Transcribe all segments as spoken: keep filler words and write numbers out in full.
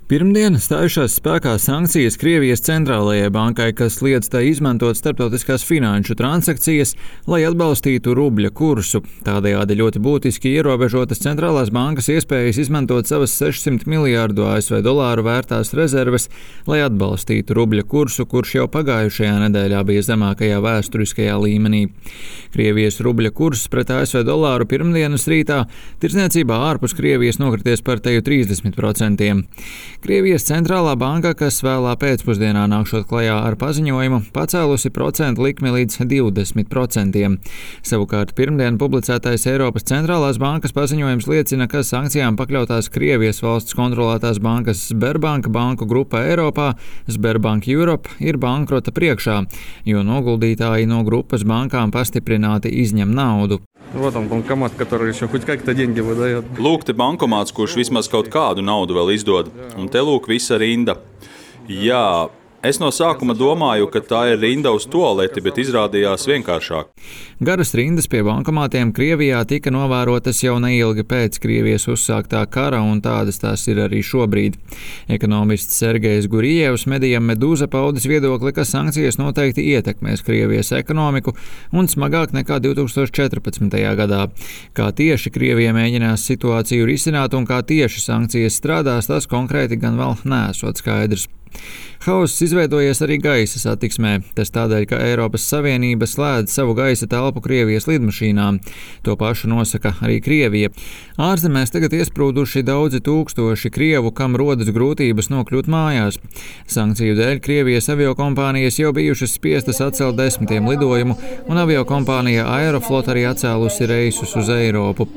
Pirmdien stājušās spēkā sankcijas Krievijas centrālajai bankai, kas liedz tai izmantot starptautiskās finanšu transakcijas, lai atbalstītu rubļa kursu. Tādējādi ļoti būtiski ierobežotas centrālās bankas iespējas izmantot savas sešsimt miljārdu A S V dolāru vērtās rezerves, lai atbalstītu rubļa kursu, kurš jau pagājušajā nedēļā bija zemākajā vēsturiskajā līmenī. Krievijas rubļa kurs pret A S V dolāru pirmdienas rītā tirdzniecībā ārpus Krievijas nokrities par teju trīsdesmit procentiem. Krievijas centrālā banka, kas vēlā pēcpusdienā nākšot klajā ar paziņojumu, pacēlusi procentu likmi līdz divdesmit procentiem. Savukārt pirmdien publicētais Eiropas centrālās bankas paziņojums liecina, ka sankcijām pakļautās Krievijas valsts kontrolētās bankas Sberbank banku grupa Eiropā, Sberbank Europe, ir bankrota priekšā, jo noguldītāji no grupas bankām pastiprināti izņem naudu. Вот он, банкомат, который еще хоть как-то деньги выдает. Lūk, te bankomāts, kurš vismaz kaut kādu naudu vēl izdod. Un te lūk visa rinda. Jā, es no sākuma domāju, ka tā ir rinda uz tualeti, bet izrādījās vienkāršāk. Garas rindas pie bankomātiem Krievijā tika novērotas jau neilgi pēc Krievijas uzsāktā kara, un tādas tās ir arī šobrīd. Ekonomists Sergejs Gurjevs medijam Medūza paudis viedokli, ka sankcijas noteikti ietekmēs Krievijas ekonomiku un smagāk nekā divi tūkstoši četrpadsmitajā gadā. Kā tieši Krievija mēģinās situāciju risināt un kā tieši sankcijas strādās, tas konkrēti gan vēl neesot skaidrs. Hauss izveidojies arī gaisa satiksmē. Tas tādēļ, ka Eiropas Savienība slēdz savu gaisa telpu Krievijas lidmašīnām. To pašu nosaka arī Krievija. Ārzemēs tagad iesprūduši daudzi tūkstoši krievu, kam rodas grūtības nokļūt mājās. Sankciju dēļ Krievijas aviokompānijas jau bijušas spiestas atcelt desmitiem lidojumu, un aviokompānija Aeroflot arī atcēlusi reisus uz Eiropu.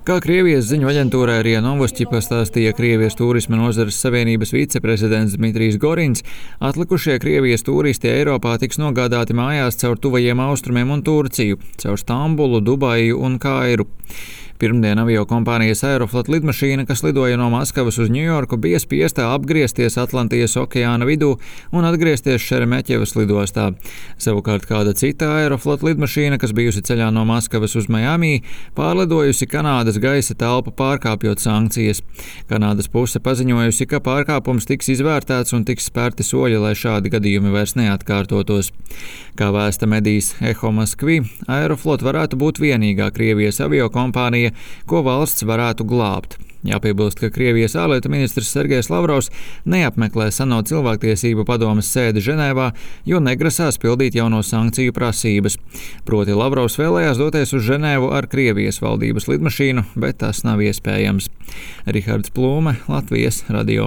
Kā Krievijas ziņu aģentūrai RIA Novosti pastāstīja Krievijas turisma nozares savienības viceprezidents Dmitrijs Gorins, atlikušie Krievijas turisti Eiropā tiks nogādāti mājās caur tuvajiem austrumiem un Turciju, caur Stambulu, Dubaju un Kairu. Pirmdien aviokompānijas Aeroflot lidmašīna, kas lidoja no Maskavas uz Ņujorku, bija spiestā apgriezties Atlantijas okeāna vidū un atgriezties Šeremeķevas lidostā. Savukārt kāda cita Aeroflot lidmašīna, kas bijusi ceļā no Maskavas uz Miami, pārlidojusi Kanādas gaisa telpu pārkāpjot sankcijas. Kanādas puse paziņojusi, ka pārkāpums tiks izvērtēts un tiks spērti soļi, lai šādi gadījumi vairs neatkārtotos. Kā vēsta medijs Eho Moskvi, Aeroflot varētu būt vienīgā Krievijas aviokompānija, ko valsts varētu glābt. Jāpiebilst, ka Krievijas ārlietu ministrs Sergejs Lavrovs neapmeklē ANO cilvēktiesību padomes sēdi Ženēvā, jo negrasās pildīt jauno sankciju prasības. Proti Lavrovs vēlējās doties uz Ženēvu ar Krievijas valdības lidmašīnu, bet tas nav iespējams. Rihards Plūme, Latvijas radio.